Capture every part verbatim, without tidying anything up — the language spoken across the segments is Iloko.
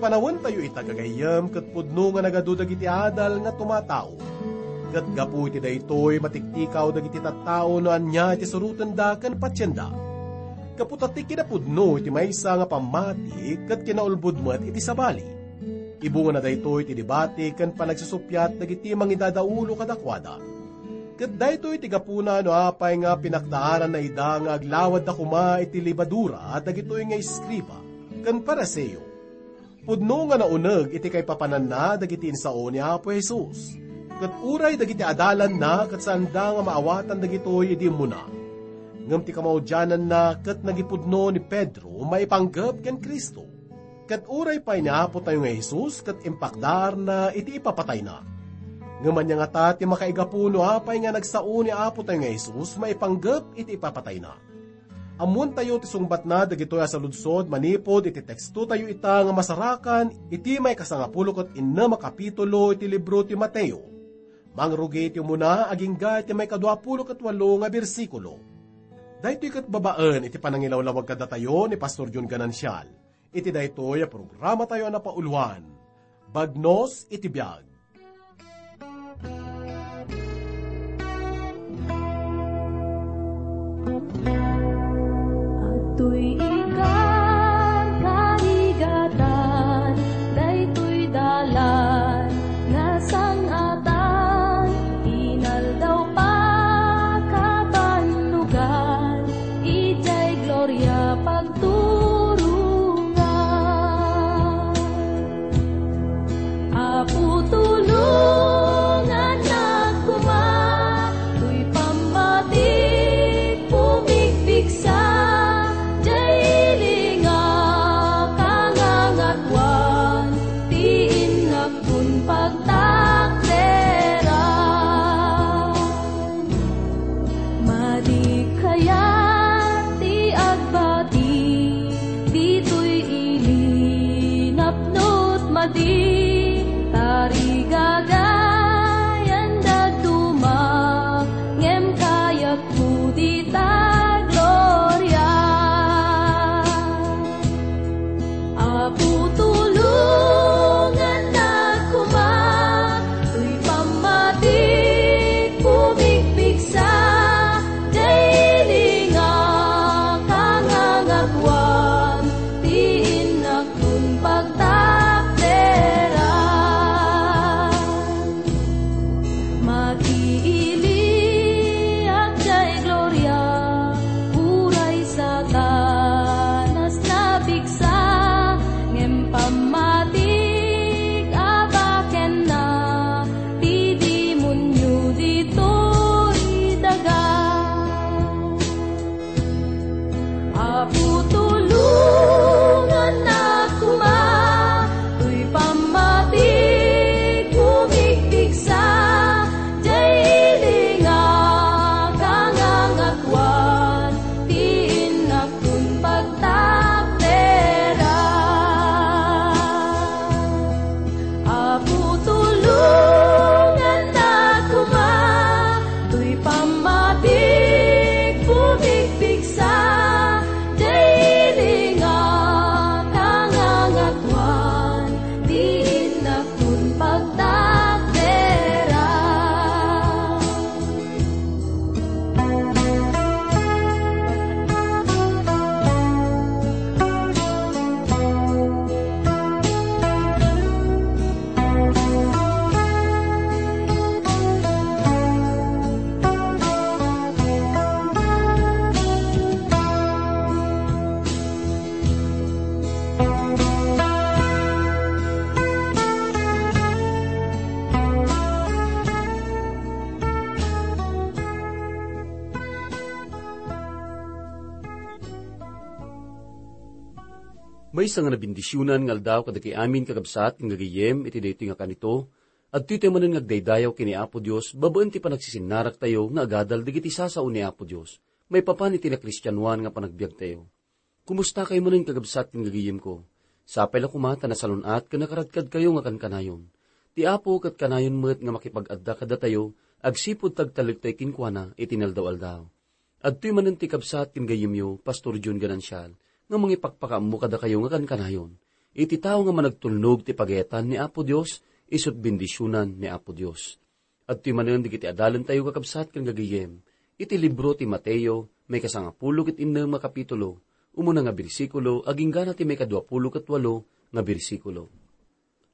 Panawentayo ita, gagayyem, ket pudno nga nagadu dagiti adal nga tumataud. Ket gapu iti daytoy, matiktikaw dagiti tattao no ania ti surotenda ken patienda. Gapu ta ti kinapudno iti maysa nga pammati ket kinaulbod met iti sabali. Ibungana daytoy ti debate ken panagsusuppiat dagiti mangidadaulo kadakuada. Ket daytoy ti gapuna no apay nga pinakdaaranna ida nga aglawadda koma iti lebadura dagitoy nga eskriba ken Fariseo. Pudno nga nauneg iti kaipapananna dagiti insao ni Apo Jesus. Ket uray dagiti adalanna ket saanda nga maawatan dagitoy idi immuna. Ngem ti kamaudiananna ket nagipudno ni Pedro maipanggep ken Cristo. Ket uray pay ni Apotayo nga Jesus ket impakdaarna iti ipapatayna. Ngem ania ngata ti makaigapu no apay nga nagsao ni Apotayo nga Jesus maipanggep iti ipapatayna? Ammoentayo ti sungbatna dagitoy a saludsod manipud iti tekstotayo ita nga masarakan iti maikasangapulo ket innem a kapitulo iti libro ti Mateo. Mangrugi ti umuna agingga iti maikaduapulo ket walo nga bersikulo. Daytoy ket babaen iti panangilawlawag kadatayo ni Pastor John Ganancial iti daytoy a programatayo a napauluan, Bagnos iti Biag. Adtoy ikan karigatan, daytoy dalan nga sang-atan, inaldaw pakabannogan, idiay gloria pagturongan. Apo, tulongannak koma, toy pammatik pumigpigsa, diay ili nga kangangatoan, ti innak kun pagtakderan. Madi kayat ti agbati, ditoy ili napnot madi, tarigagayan dadduma, ngem kayatko dita gloria. Apo, tulongannak koma, toy pammatik pumigpigsa, diay ili nga kangangatoan, ti innak kun pagtakderan. Makiiliak diay gloria, uray Satanas napigsa, ngem pammatik a bakenna, ti demonio ditoy daga. Apo, tulongannak koma, toy pammatik pumigpigsa, diay ili nga kangangatoan, ti innak kun pagtakderan. Apo, tulongannak koma, toy pammatik pumigpigsa, diay ili nga kangangatoan, ti innak kun pagtakderan. Maysa nga nabendisionan nga aldaw kadagiti amin, kakabsat ken gagayyem, iti daytoy nga kanito. Adtoy tayo manen nga agdaydayaw ken ni Apo Dios babaen ti panagsisinnaragtayo nga agadal dagiti sasao ni Apo Dios maipapan iti nakristianoan nga panagbiagtayo. Kumusta kayo manen, kakabsat ken gagayyemko? Sapay la koma ta nasalun-at ken nakaradkadkayo nga kankanayon. Ti Apo ket kanayon met nga makipag-adda kadatayo agsipud ta agtalektayo kenkuana iti inaldaw-aldaw. Adtoy manen ti kabsat ken gayyemyo, Pastor John Ganancial, nga mangipakpakaammo kadakayo nga kankanayon. Iti tao nga managtulnog ti pagayatan ni Apo Dios, isut bendisionan ni Apo Dios. Adtoy manen dagiti adalentayo, kakabsat ken gagayyem, iti libro ti Mateo, maikasangapulo ket innem nga kapitulo, umuna nga bersikulo, agingga na ti maikaduapulo ket walo nga bersikulo.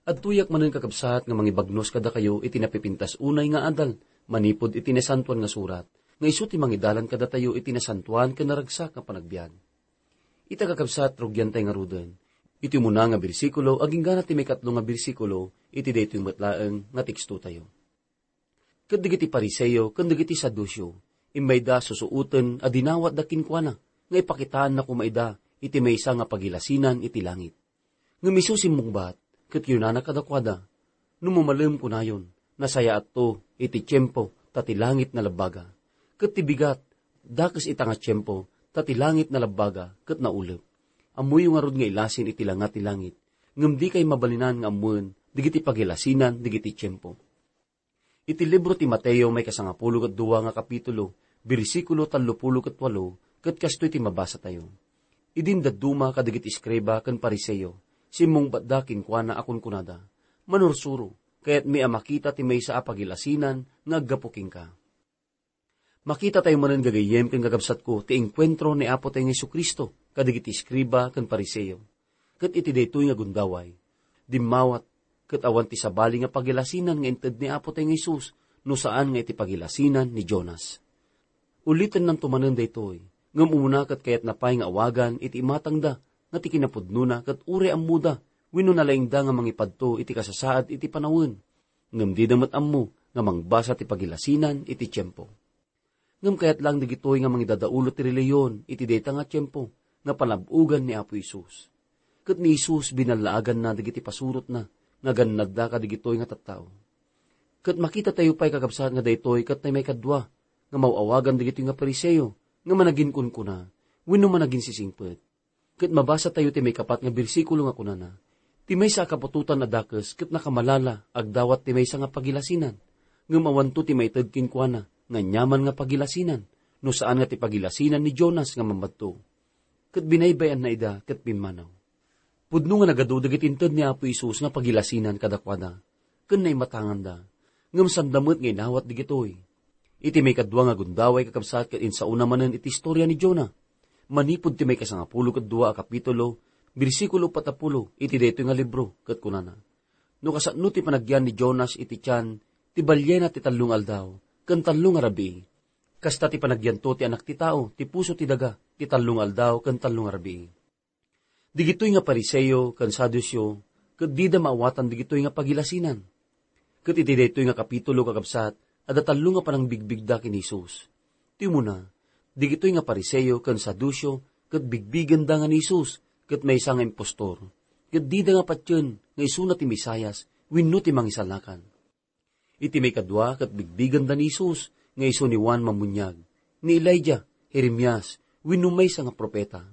Adtoyak manen, kakabsat, nga mangibagnos kadakayo iti napipintas unay nga adal, manipud iti Nasantoan nga Surat, nga isu ti mangidalan kadatayo iti nasantoan ken naragsak nga panagbiag. Ita, kakabsat, rugiantay ngaruden. Iti umuna nga bersikulo, agingga na ti maikatlo nga bersikulo, iti daytoy met laeng nga tekstotayo. Ket dagiti Fariseo ken dagiti Saduceo, immayda susuoten a dinawatda kenkuana nga ipakitaanna koma ida iti maysa nga pagilasinan iti langit. Ngem isu simmungbat, ket kinunana kadakuada, "No mamalem, kunayon, nasayaatto iti tiempo ta ti langit nalabbaga. Ket ti bigat, dakes ita nga tiempo ta ti langit nalabbaga ket naulep. Ammoyo ngarud nga ilasin iti langa ti langit, ngem dikay mabalinan nga ammoen dagiti pagilasinan dagiti tiempo." Iti libro ti Mateo, maikasangapulo ket dua nga kapitulo, bersikulo tallopulo ket walo, ket kastoy ti mabasatayo. Idin dadduma kadagiti eskriba ken Fariseo, simmungbatda kenkuana a kunkunada, "Manursuro, kayatmi a makita ti maysa a pagilasinan nga aggapu kenka." Makitatayo manen, gagayyem ken kakabsatko, ti enkuentro ni Apotayo nga Jesu-Cristo kadagiti eskriba ken Fariseo. Ket iti daytoy nga gundaway, dimmawat ket awan ti sabali nga pagilasinan nga inted ni Apotayo nga Jesus no saan nga iti pagilasinan ni Jonas. Ulitennanto manen daytoy, ngem umuna ket kayatna pay nga awagan iti imatangda nga ti kinapudnona ket uray ammoda wenno nalaingda nga mangipadto iti kasasaad iti panawen, ngem dida met ammo nga mangbasa ti pagilasinan iti tiempo. Ngem kayat laeng dagitoy nga mangidadaulo ti relihiyon iti dayta nga tiempo nga panab-ogan ni Apo Jesus. Ket ni Jesus, binallaaganna dagiti pasurotna nga gannadda kadagitoy nga tattao. Ket makitatayo pay, kakabsat, nga daytoy ket ti maikadua nga maaw-awagan dagitoy nga Fariseo nga managinkunkuna wenno managinsisingpet. Ket mabasatayo ti maikapat nga bersikulo nga kunana, "Ti maysa a kaputotan a dakes ket nakamalala agdawat ti maysa nga pagilasinan, ngem awanto ti maited kenkuana nga aniaman nga pagilasinan, no saan nga ti pagilasinan ni Jonas nga mambadto." Ket binaybay-anna ida ket pimmanaw. Pudno nga nagadu dagiti inted ni Apo Jesus nga pagilasinan kadakuada, ken naimatanganda, ngem sanda met nga inawat dagitoy. Iti maikadua nga gundaway, kakabsat, ket insaona manen iti istoria ni Jonah. Manipud ti maikasangapulo ket dua a kapitulo, bersikulo patappulo iti daytoy nga libro, ket kunana, "No kasano ti panagyan ni Jonas iti tian ti baliena ti tallo nga aldaw ken tallo nga rabii, kasta ti panagyanto ti Anak ti Tao ti puso ti daga ti tallo nga aldaw ken tallo nga rabii." Digitoy nga Fariseo ken Saduceo ket dida maawatan digitoy nga pagilasinan. Ket iti daytoy nga kapitulo, kakabsat, adda tallo nga panangbigbigda ken ni Jesus. Ti umuna, digitoy nga Fariseo ken Saduceo ket bigbigenda nga ni Jesus ket maysa nga impostor, ket dida nga patien nga isuna ti Mesias wenno ti Mangisalakan. Iti maikadua ket bigbigenda ni Jesus nga isu ni Juan Mammuniag, ni Elijah, Jeremias, wenno maysa nga profeta.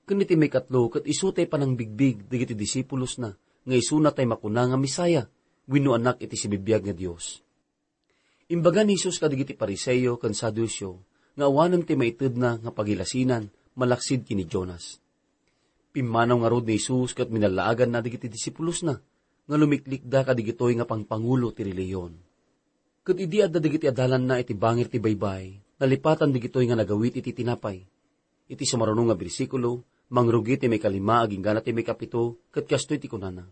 Ken iti maikatlo ket isu tay panangbigbig dagiti disipulosna nga isuna tay makuna nga Messiah wenno Anak iti sibibiag nga Dios. Imbaga ni Jesus kadagiti Fariseo ken Saduceo nga awanen ti maitedna nga pagilasinan malaksid ken ni Jonas. Pimmanaw ngarud ni Jesus ket minallaaganna dagiti disipulosna nga lumiklikda kadigitoy nga pangpangulo ti relihiyon. Ket idi adda dagiti adalanna iti bangir ti baybay, nalipatan digitoy nga nagawid iti tinapay. Iti sumaruno nga bersikulo, mangrugi ti maikalima agingga ti maikapito, ket kastoy ti kunana,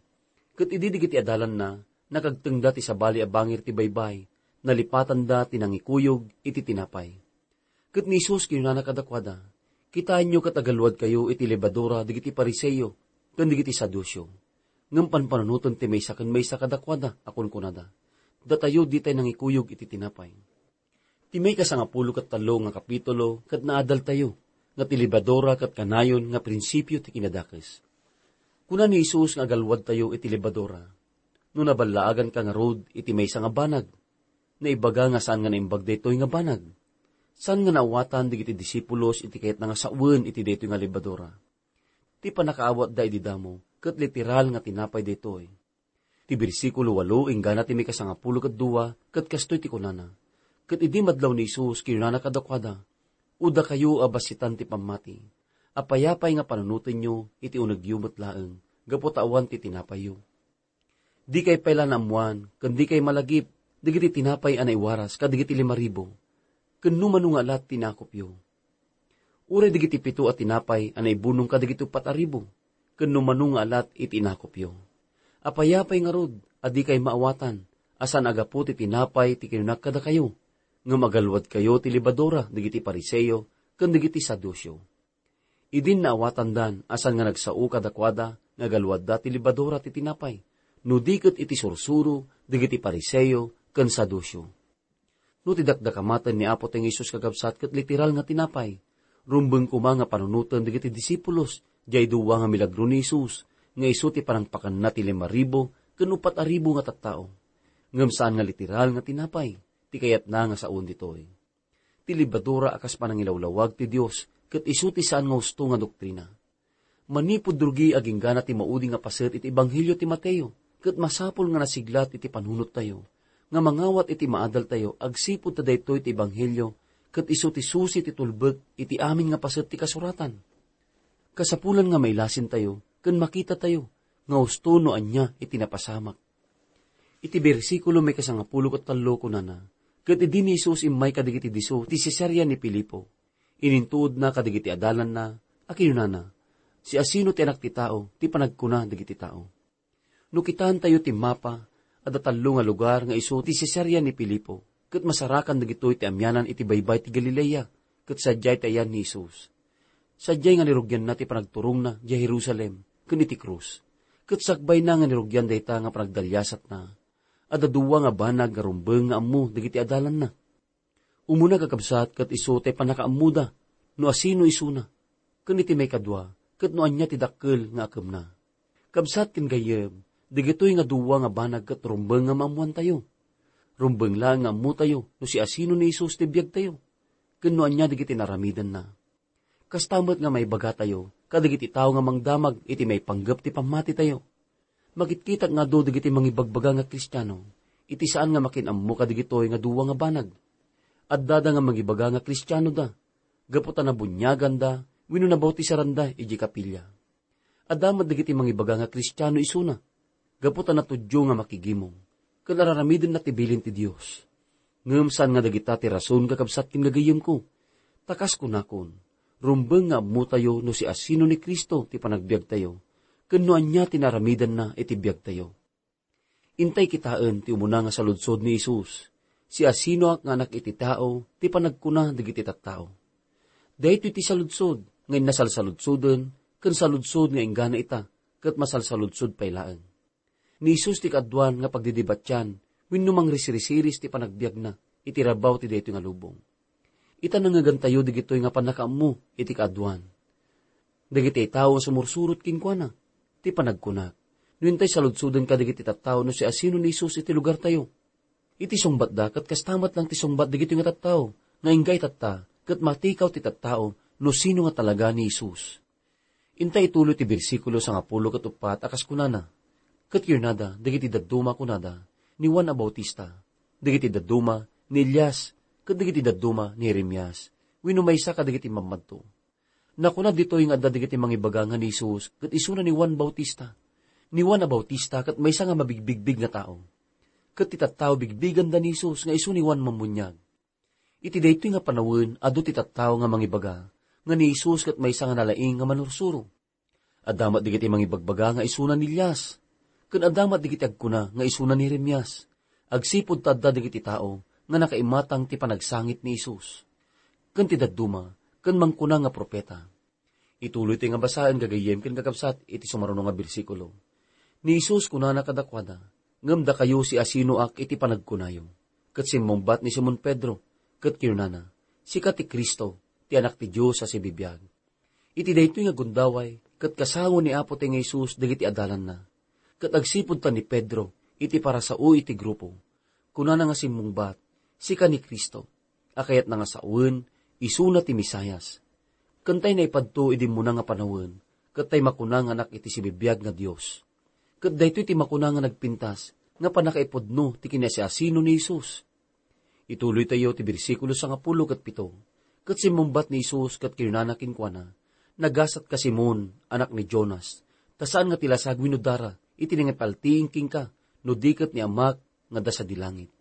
"Ket idi dagiti adalanna nakagtengda ti sabali a bangir ti baybay, nalipatanda ti nangikuyog iti tinapay." Ket ni Jesus kinunana kadakuada, "Kitaenyo ket agalluadkayo iti lebadura dagiti Fariseo ken dagiti Saduceo." Ngem panpanunoten ti maysa ken maysa kadakuada a kunkunada, "Datayo ditay nangikuyog iti tinapay." Ti maikasangapulo ket tallo nga kapitulo ket naadaltayo nga ti lebadura ket kanayon nga prinsipio ti kinadakes. Kuna ni Jesus nga agalluadtayo iti lebadura. No naballaaganka ngarud iti maysa nga banag, naibaga nga saan nga naimbag daytoy nga banag. Saan nga naawatan dagiti disipulos iti kayatna nga sawen iti daytoy nga lebadura? Ti pannakaawatda idi damo ket literal nga tinapay daytoy. Ti bersikulo walo inggana ti maikasangapulo ket dua ket kastoy ti kunana, "Ket idi madlaw ni Jesus, kinunana kadakuada, 'O dakayo a bassitan ti pammati, apay-apay nga panunotenyo iti unegyo met laeng gapu ta awan ti tinapayyo. Dikay pay la naammoan, ken dikay malagip dagiti tinapay a naiwaras kadagiti lima ribu, ken no mano nga alat ti inakupyo. Uray dagiti pito a tinapay a naibunong kadagiti uppat a ribu, ken no mano nga alat iti inakupyo. Apay-apay ngarud a dikay maawatan a saan a gapu ti tinapay ti kinunak kadakayo, ngem agaluadkayo ti lebadura dagiti Fariseo ken dagiti Saduceo. Idin naawatandan a saan nga nagsao kadakuada nga agaluadda ti lebadura ti tinapay, no di ket iti sursuro dagiti Fariseo ken Saduceo. No ti dakdakamaten ni Apo ti Jesus kakabsat ket literal nga tinapay, rumbeng koma nga panunoten dagiti disipulos diay dua nga milagro ni Jesus, nga isu ti panangpakanna ti lima ribu ken uppat a ribu nga tattao. Ngem saan nga literal nga tinapay ti kayatna nga saoen ditoy. Ti lebadura a kas panangilawlawag ti Dios ket isu ti saan nga husto nga doktrina. Manipud rugi aginggana ti maudi nga paset iti ebanghelio ti Mateo, ket masapul nga nasiglat iti panunottayo, nga mangawat iti maadaltayo agsipud ta daytoy ti ebanghelio ket isu ti susi ti tulbek iti amin nga paset ti kasuratan. Kasapulan nga mailasintayo ken makitatayo nga husto no ania iti napasamak. Iti bersikulo maikasangapulo ket tallo kunana, ket idi ni Jesus immay kadagiti disso ti Cesarea ni Filipo, inintuodna kadagiti adalanna a kinunana, "Siasino ti Anak ti Tao ti panagkuna dagiti tao?" No kitaentayo ti mapa, adda tallo nga lugar nga isu ti Cesarea ni Filipo, ket masarakan dagitoy ti amianan iti baybay ti Galilea, ket sadiay ti ayan ni Jesus. Sadiay nga nirugianna ti panagturongna diay Jerusalem ken iti krus, ket sakbayna nga nirugian dayta nga panagdaliasatna. Adda dua nga banag nga rumbeng nga ammo dagiti adalanna. Umuna, kakabsat, ket isu ti pannakaammoda no asino isuna, ken iti maikadua, ket no ania ti dakkel nga akemna. Kabsat ken gayyem, dagitoy nga dua nga banag ket rumbeng nga maammoantayo. Rumbeng laeng nga ammotayo no siasino ni Jesus ti biagtayo, ken no ania dagiti naaramidenna. Kasta met nga maibagatayo kadagiti tao nga mangdamag iti maipanggep ti pammatitayo. Makitkitak nga adu dagiti mangibagbaga nga Kristiano iti saan nga makin-ammo kadagitoy nga dua nga banag. Addada nga mangibaga nga Kristianoda gapu ta nabuniaganda wenno nabautisaranda idiay kapilya. Adda met dagiti mangibaga nga Kristiano isuna gapu ta natudyo nga makigimong ken ar-aramidenna ti bilin ti Dios. Ngem saan nga dagita ti rason, kakabsat ken gagayyemko. Ta kas kunakon, rumbeng nga ammotayo no siasino ni Cristo ti panagbiagtayo, ken no ania ti naaramidenna iti biagtayo. Intay kitaen ti umuna nga saludsod ni Jesus, "Siasinoak nga Anak iti Tao?" ti panagkuna dagiti tattao. Daytoy ti saludsod nga innasalsaludsoden ken saludsod nga inggana ita ket masalsaludsod pay laeng. Ni Jesus ti kaaduan nga pagdidibatian wenno mangrisrisiris ti panagbiagna iti rabaw ti daytoy nga lubong. Ita, nangngegantayo dagitoy nga pannakaammo iti kaaduan. Dagiti tao nga sumursurot kenkuana ti panagkunak. No intay saludsoden kadagiti tattao no siasino ni Jesus iti lugartayo. Iti sungbatda ket kasta met lang ti sungbat dagitoy nga tattao nga inggay tatta ket matikaw ti tattao no sino nga talaga ni Jesus. Inta ituloy ti bersikulo sangapulo ket uppat a kas kunana, "Ket kinunada dagiti dadduma kunada ni Juan a Bautista, dagiti dadduma ni Elias, ket dagiti dadduma ni Jeremias, wenno maysa kadagiti mammadto." Nakuna ditoy nga adda dagiti mangibaga nga ni Jesus ket isuna ni Juan Bautista. Ni Juan a Bautista ket maysa nga mabigbigbig nga tao. Ket ti tattao bigbiganda ni Jesus nga isu ni Juan Mammuniag. Iti daytoy nga panawen, adu ti tattao nga mangibaga nga ni Jesus ket maysa nga nalaing nga manursuro. Adda met dagiti mangibagbaga nga isuna ni Elias, ken adda met dagiti agkuna nga isuna ni Jeremias, agsipud ta adda dagiti tao nga nakaimatang ti panagsangit ni Jesus, ken ti dadduma, ken mangkuna nga profeta. Ituloytoy nga basaen, gagayyem ken kakabsat, iti sumaruno nga bersikulo. Ni Jesus kunana kadakuada, "Ngem dakayo, siasinoak iti panagkunayo?" Ket simmungbat ni Simon Pedro, ket kinunana, "Sika ti Cristo, ti Anak ti Dios a sibibiag." Iti daytoy nga gundaway, ket kasango ni Apo ti nga Jesus dagiti adalanna. Ket agsipud ta ni Pedro iti parasao iti grupo, kunana nga simmungbat, "Sika ni Cristo, a kayatna nga sawen, isuna ti Mesias." Ken tay naipadto idi immuna nga panawen, ket tay makuna nga Anak iti sibibiag nga Dios. Ket daytoy ti makuna nga nagpintas nga pannakaipudno ti kinasiasino ni Jesus. Ituloytayo ti bersikulo sangapulo ket pito. Ket simmungbat ni Jesus ket kinunana kenkuana, "Nagasatka, Simon, anak ni Jonas, Ta saan nga ti lasag wenno dara iti nangipaltiing kenka, no di ket ni Amak nga adda sadi langit.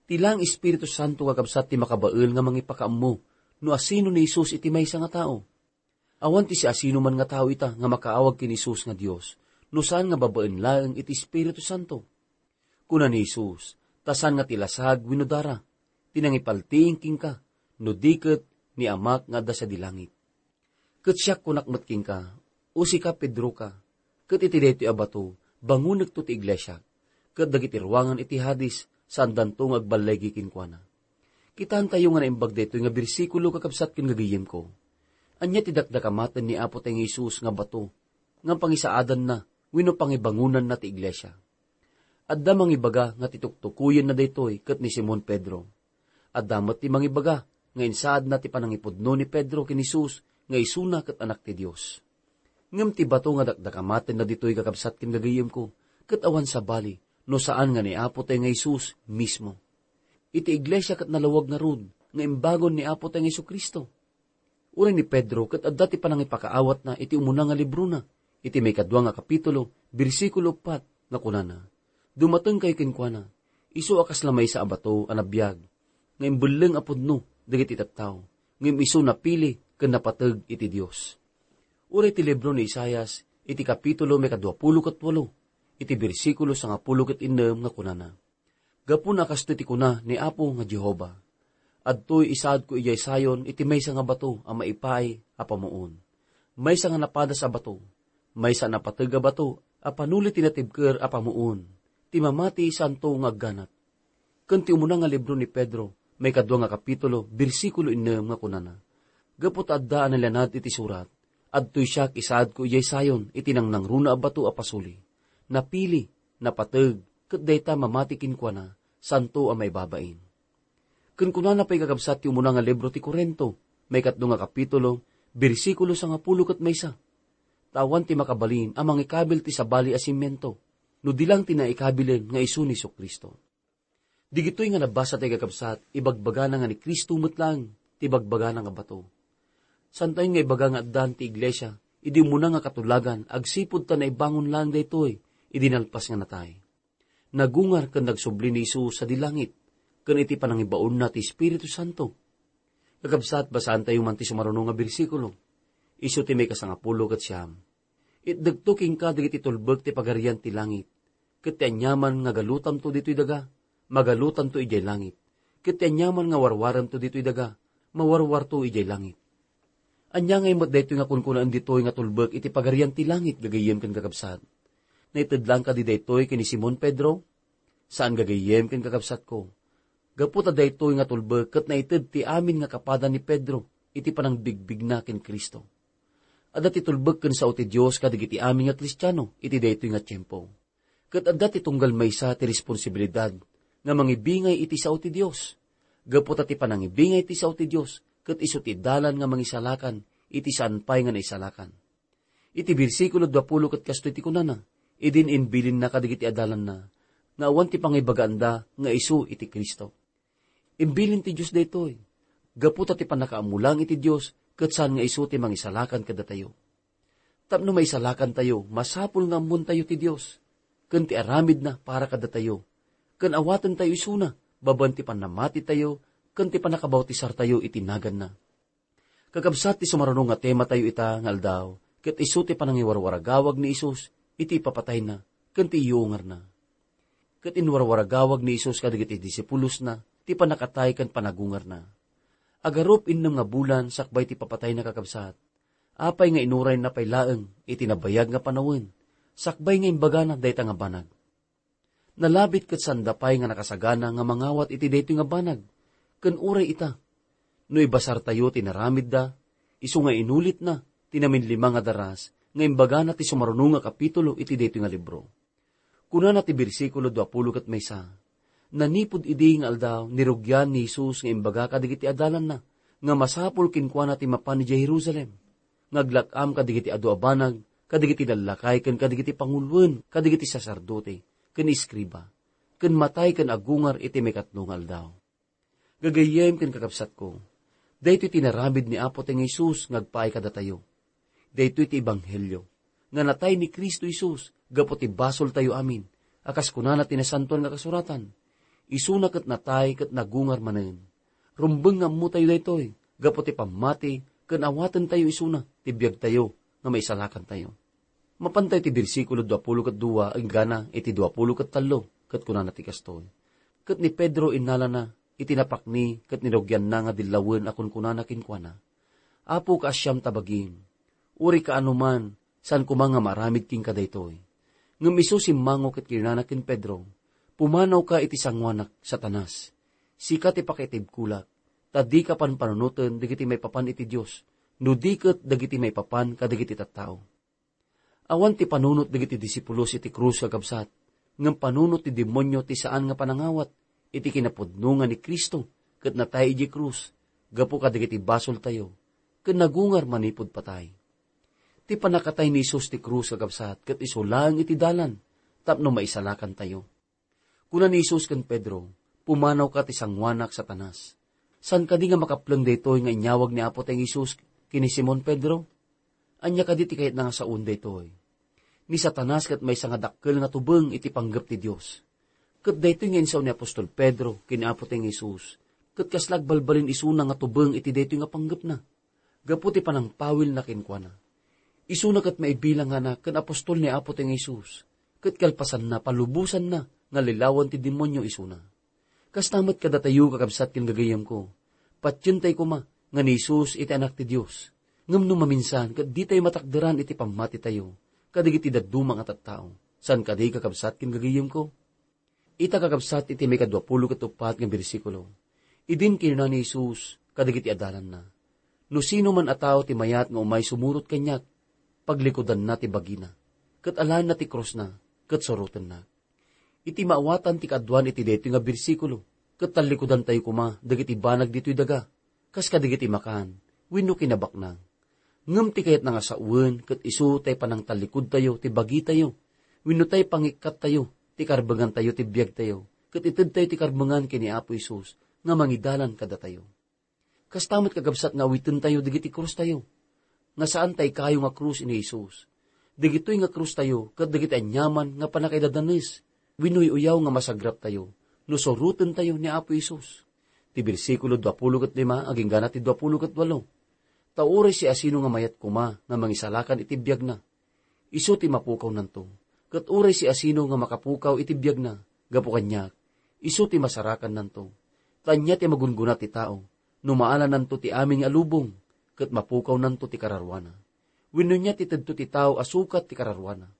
Ti laeng Espiritu Santo, kakabsat, ti makabael nga mangipakaammo no asino ni Jesus iti maysa nga tao. Awan ti siasinoman nga tao ita nga makaawag ken Jesus nga Dios no saan nga babaen laeng iti Espiritu Santo. Kuna ni Jesus, ta saan nga ti lasag wenno dara ti nangipaltiing kenka, no di ket ni Amak nga adda sadi langit. Ket siak kunak met kenka, usika, Pedroka, ket iti daytoy a bato, bangonekto ti iglesiak, ket dagiti ruangan iti Hades, saandanto nga agballigi kenkuana. Kitaentayo nga naimbag daytoy nga bersikulo, kakabsat ken gagayemko. Ania ti dakdakamaten ni Apo tayo nga Jesus nga bato, nga pangisaadanna wenno pangibangonanna ti iglesia? Adda mangibaga nga ti tuktukoyenna daytoy ket ni Simon Pedro. Adda met ti mangibaga nga insaadna ti panangipudno ni Pedro ken Jesus nga isuna ket Anak ti Dios. Ngem ti bato nga dakdakamatenna ditoy, kakabsat ken gagayemko, ket awan sabali no saan nga ni Apo tayo nga Jesus mismo. Iti iglesia ket nalawag ngarud nga imbagon ni Apo tayo nga Jesu-Cristo. Uray ni Pedro ket adda ti panangipakaawatna iti umuna nga librona, iti maikadua nga kapitulo, bersikulo uppat, nga kunana, "Dumatengkayo kenkuana, isu a kasla maysa a bato a nabiag, nga imbelleng a pudno dagiti tattao, ngem isu napili ken napateg iti Dios." Uray ti libro ni Isaias, iti kapitulo maikaduapulo ket walo, iti bersikulo sangapulo ket innem, nga kunana, "Gapuna kastoy ti kuna ni Apo nga Jehovah, 'Adtoy isaadko idiay Sion iti maysa nga bato a maipaay a pamuon, maysa nga napadas a bato, maysa a napateg a bato a panuli ti natibker a pamuon, ti mamati saanto nga agganat.'" Ken ti umuna nga libro ni Pedro, maikadua nga kapitulo, bersikulo innem, nga kunana, "Gapu ta adda a nalianad iti surat, 'Adtoy siak isaadko idiay Sion iti nangnangruna a bato a pasuli, napili, napateg, ket dayta mamati kenkuana, saanto a maibabain.'" Ken kunana pay, kakabsat, ti umuna nga libro ti Corinto, maikatlo nga kapitulo, bersikulo sangapulo ket maysa, "Ta awan ti makabalin a mangikabil ti sabali a simiento, no di lang ti naikabilen nga isu ni Jesu-Cristo." Digitoy nga nabasa tayo, kakabsat, ibagbagana nga ni Cristo met laeng ti ibagbagana nga bato. Saantayo nga ibaga nga addan ti iglesia idi umuna nga katulagan agsipud ta naibangon laeng daytoy idi nalpas nga natay. Nagungar ken nagsubli ni Jesus sadi langit ken iti panangibaonna ti Espiritu Santo. Kakabsat, basaantayo man ti sumaruno nga bersikulo. Isu ti maikasangapulo ket siam. "Itdekto kenka dagiti tulbek ti pagarian ti langit, ket ti aniaman nga galutamto ditoy daga, magalutanto idiay langit, ket ti aniaman nga warwaremto ditoy daga, mawarwarto idiay langit." Ania ngay met daytoy nga kunkunaen ditoy nga tulbek iti pagarian ti langit, gagayyem ken kakabsat? Naited laeng kadi daytoy ken ni Simon Pedro? Saan, gagayyem ken kakabsatko. Gapu ta daytoy nga tulbek ket naited ti amin nga kapada ni Pedro iti panangbigbigna ken Cristo. Adda ti tulbek ken sao ti Dios kadagiti amin nga Kristiano iti daytoy nga tiempo. Ket adda ti tunggal maysa ti responsibilidad nga mangibingay iti sao ti Dios. Gapu ta ti panangibingay ti sao ti Dios ket isu ti dalan nga mangisalakan iti saan pay nga naisalakan. Iti bersikulo duapulo ket kastoy ti kunana, idin imbilinna kadagiti adalanna nga awan ti pangibagaanda nga isu iti Cristo. Imbilin ti Dios daytoy, gapu ta ti pannakaammo laeng iti Dios ket saan nga isu ti mangisalakan kadatayo. Tapno maisalakantayo, masapul nga ammontayo ti Dios ken ti aramidna para kadatayo, ken awatentayo isuna babaen ti pannamatitayo ken ti pannakabautisartayo iti naganna. Kakabsat, ti sumaruno nga tematayo ita nga aldaw, ket isu ti panangiwarwaragawag ni Jesus iti ipapatayna ken ti iyuungarna. Ket inwarwaragawag ni Jesus kadagiti disipulosna ti pannakatay ken panagungarna. Agarup innem nga bulan sakbay ti papatayna, kakabsat, apay nga inurayna pay laeng iti nabayag nga panawen, sakbay nga imbagana dayta nga banag. Nalabit ket sanda pay nga nakasagana nga mangawat iti daytoy nga banag, ken uray ita, no ibasartayo ti naramidda, isu nga inulitna ti naminlima nga daras nga imbagana ti sumaruno nga kapitulo iti daytoy nga libro. Kunana ti bersikulo duapulo ket maysa, "Nanipud idi nga aldaw, nirugian ni Jesus nga imbaga kadagiti adalanna nga masapul kenkuana ti mapan idiay Jerusalem, nga aglak-am kadagiti adu a banag, kadagiti lallakay ken kadagiti panguloen kadagiti saserdote ken eskriba, ken matay ken agungar iti maikatlo nga aldaw." Gagayyem ken kakabsatko, daytoy ti inaramid ni Apo tayo nga Jesus nga agpaay kadatayo. Daytoy ti ebanghelio. nga natay ni Cristo Jesus gapu ti basoltayo amin, a kas kunana ti Nasantoan nga Kasuratan, "Isuna ket natay ket nagungar manen." Rumbeng nga ammotayo daytoy gapu ti pammati ken awatentayo isuna ti biagtayo nga maisalakantayo. Mapantayo ti bersikulo dua pulo ket dua enggana iti dua pulo ket tallo, ket kunana ti kastoy, "Ket ni Pedro innalana iti napakni ket nirugianna nga dillawen a kunkunana kenkuana, 'Apo, kaasiam ta bagim. Uray kaano man, saan koma nga maaramid kenka daytoy.' Ngem isu simmango ket kinunana ken Pedro, 'Pumanawka iti sangoanak, Satanas! Sika ti pakaitibkolak, ta dika panpanunoten dagiti maipapan iti Dios, no di ket dagiti maipapan kadagiti tattao.'" Awan ti panunot dagiti disipulos iti krus, kakabsat, ngem panunot ti demonio ti saan nga panangawat iti kinapudno nga ni Cristo ket natay idiay krus gapu kadagiti basoltayo ken nagungar manipud patay. Ti pannakatay ni Jesus ti krus, kakabsat, ket isu laeng iti dalan tapno maisalakantayo. Kuna ni Jesus ken Pedro, "Pumanawka ti sangoanak, Satanas." Saan kadi nga makapleng daytoy nga inyawag ni Apo ti Jesus ken ni Simon Pedro? Ania kadi ti kayatna nga saoen daytoy? Ni Satanas ket maysa nga dakkel nga tubeng iti panggep ti Dios. Ket daytoy nga insao ni apostol Pedro ken ni Apo ti Jesus, ket kasla agbalbalin isuna nga tubeng iti daytoy nga panggepna. Gapu ti panangpawilna kenkuana, isuna ket maibilangana ken apostol ni Apo ti Jesus, ket kalpasanna, palubosanna nga lilawan ti demonio isuna. Kasta met kadatayo, kakabsat ken gagayyemko, patientay koma nga ni Jesus iti Anak ti Dios. Ngem no maminsan ket ditayo matakderan iti pammatitayo kadagiti dadduma nga tattao, saan kadi, kakabsat ken gagayyemko? Ita, kakabsat, iti maikadua pulo ket uppat nga bersikulo, idin kinuna ni Jesus kadagiti adalanna, "No sino man a tao ti mayat nga umay sumurot kaniak, paglikudanna ti bagina, ket alaenna ti krusna, ket surotennak." Iti maawatan ti kaaduan iti daytoy nga bersikulo, ket tallikudantayo koma dagiti banag ditoy daga, kas kadagiti makan wenno kinabaknang. Ngem ti kayatna nga sawen ket isu tay panangtallikudtayo ti bagitayo wenno tay pangikkattayo ti karbengantayo ti biagtayo, ket itedtayo ti karbengan ken ni Apo Jesus nga mangidalan kadatayo. Kasta met, kakabsat, nga awitentayo dagiti krustayo, nga saan tay kayo nga krus ni Jesus. Dagitoy nga krustayo ket dagiti aniaman nga pannakaidadanes wenno uyaw nga masagraptayo no surotentayo ni Apo Jesus. Ti bersikulo dua pulo ket lima agingga na ti dua pulo ket walo. Ta uray siasino nga mayat koma nga mangisalakan iti biagna, isu ti mapukawnanto. Ket uray siasino nga makapukaw iti biagna gapu kaniak, isu ti masarakannanto. Ta ania ti magungguna ti tao no maalananto ti amin nga lubong ket mapukawnanto ti kararuana? Wenno ania ti tedto ti tao a sukat ti kararuana?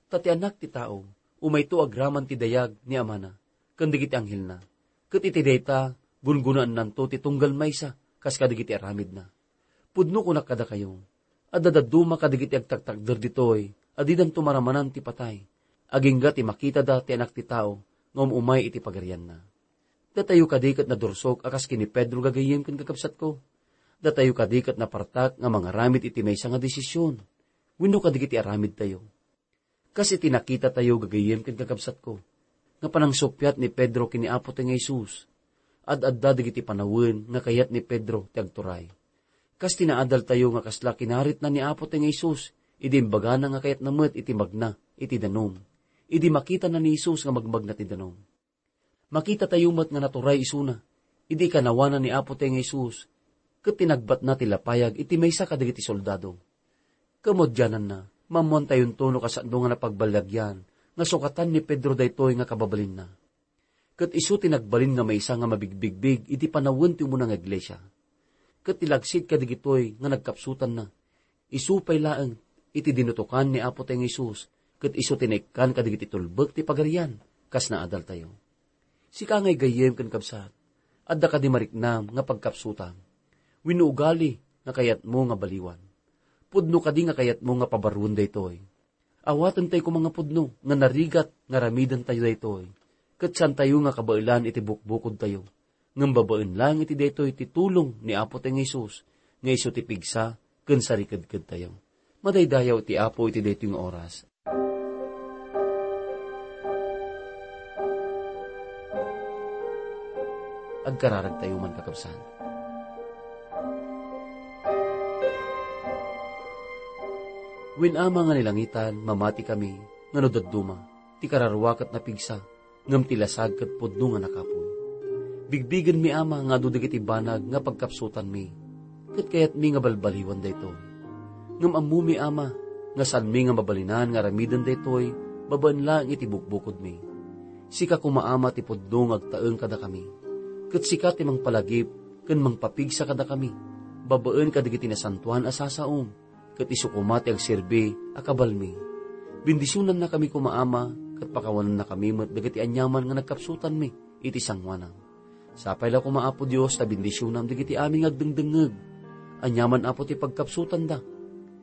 Ta ti Anak ti Tao, umayto agraman ti dayag ni Amana ken dagiti anghelna, ket iti dayta, gunggunaennanto ti tunggal maysa kas kadagiti aramidna. Pudno kunak kadakayo, adda dadduma kadagiti agtaktakder ditoy a didanto maramanan ti patay, agingga ti makitada ti Anak ti Tao nga um-umay iti Pagarianna. Datayo kadi ket nadursok a kas ken ni Pedro, gagayyem ken kakabsatko? Datayo kadi ket napartak nga mangaramid iti maysa nga desisyon wenno kadagiti aramidtayo? Kas iti nakitatayo, gagayyem ken kakabsatko, nga panangsuppiat ni Pedro ken ni Apo ti nga Jesus, ad-adda dagiti panawen nga kayat ni Pedro ti agturay. Kas ti naadaltayo nga kasla kinaritna ni Apo ti nga Jesus idi imbagana nga kayatna met iti magna iti danum, idi makitana ni Jesus nga magmagna ti danum. Makitatayo met nga naturay isuna idi ikanawana ni Apo ti nga Jesus ket tinagbatna ti lapayag iti maysa kadagiti soldado. Kamaudiananna, maammoantayonto no kasano nga napagbalilagian nga sukatan ni Pedro daytoy nga kababalinna. Ket isu ti nagbalin nga maysa nga mabigbigbig iti panawen ti umuna nga iglesia. Ket ti lagsid kadagitoy nga nagkapsutanna, isu pay laeng iti dinutokan ni Apo ti nga Jesus, ket isu ti naikkan kadagiti tulbek ti Pagarian kas naadaltayo. Sika nga gayyem ken kabsat, adda kadi mariknam nga pagkapsutam wenno ugali nga kayatmo nga baliwan? Pudno kadi nga kayatmo nga pabaruen daytoy? Awatentayo koma nga pudno nga narigat nga aramidentayo daytoy, ket saantayo nga kabaelan iti bukbukodtayo, ngem babaen laeng iti daytoy ti tulong ni Apo ti nga Jesus nga isu ti pigsa ken sarikedkedtayo. Madaydayaw ti Apo iti daytoy nga oras. Agkararagtayo man, kakabsat. Wen, Ama nga ni langitan, mamati kami nga no dadduma, ti kararua ket napigsa, ngem ti lasag ket pudno nga nakapuy. Bigbigenmi, Ama, nga adu dagiti banag nga pagkapsutanmi, ket kayatmi nga balbaliwan daytoy. Ngem ammomi, Ama, nga saanmi nga mabalinan nga aramiden daytoy babaen laeng iti bukbukodmi. Sika koma, Ama, ti pudno nga agtaeng kadakami, ket sika ti mangpalagip ken mangpapigsa kadakami babaen kadagiti nasantoan a sasaom, ket isu koma ti agserbi a kabalmi. Bendisionannakami koma, Ama, ket pakawanennakami met dagiti aniaman nga nagkapsutanmi iti sangoanam. Sapay la koma, Apo Dios, ta bendisionam dagiti amin nga agdengdengngeg. Aniaman, Apo, ti pagkapsutanda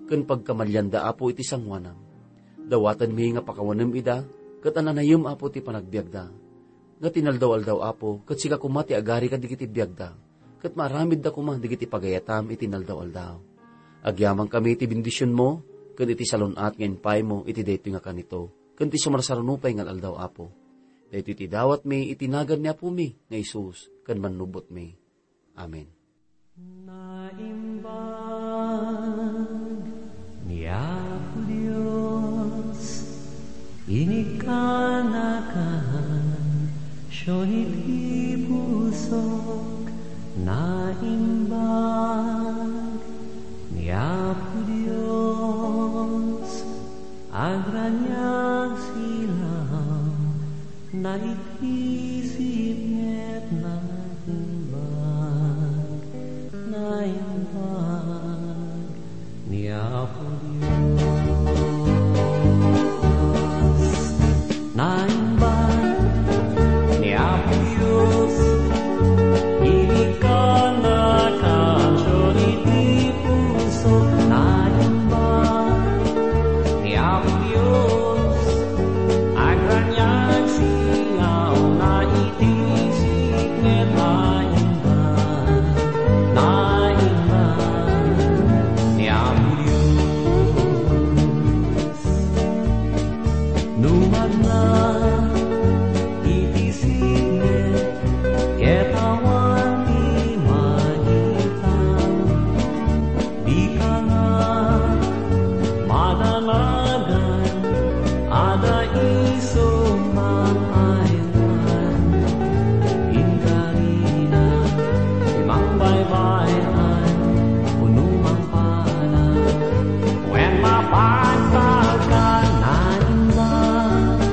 ken pagkamalianda, Apo, iti sangoanam. Dawatenmi nga pakawanem ida, ket ananayem, Apo, ti panagbiagda. Nga ti naldaw-aldaw, Apo, ket sika koma ti agari kadagiti biagda, ket maaramidda koma dagiti pagayatam iti naldaw-aldaw. Agyamankami iti bendisionmo, ken iti salun-at nga impaymo iti daytoy nga kanito, ken ti sumarsaruno pay nga aldaw, Apo. Daytoy ti dawatmi iti nagan ni Apomi nga Jesus ken Mannubotmi. Amen. Naimbag ni Apo Dios, inikkanakan, siyon iti pusok. Naimbag ni Apo Dios, agraniag silaw, naitisip ket naimbag, naimbag ni Apo Dios. Naimbag ni Apo Dios, inikkanakan siyon iti pusok. Naimbag ni Apo Dios, agraniag silaw, naitisip ket naimbag, naimbag ni Apo Dios. No magna iti sine, ket awan ti makita, dika nga madanagan, adda isu mangaywan. Inkarina ti mangbaybay-an, wenno mangpana, wen mapagtalkan. Naimbag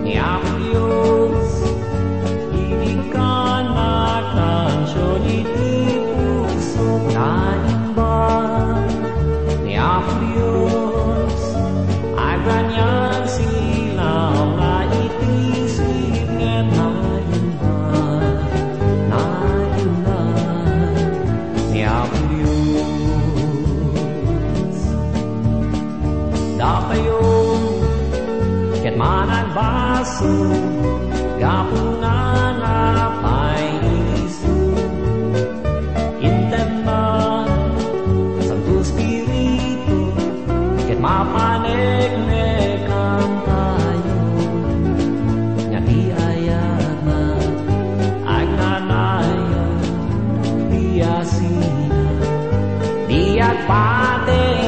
ni Apo Dios, inikkanakan siyon iti pusok. Naimbag ni Apo Dios, agraniag silaw, naitisip ket naimbag, naimbag ni Apo Dios. Dakayo ket managbasol, gapu nga napay isu. Intemna, Santo Espiritu, ket mapaneknekan tayo. Nga ti ayatna, agnanayon, ti asina, ti agpateg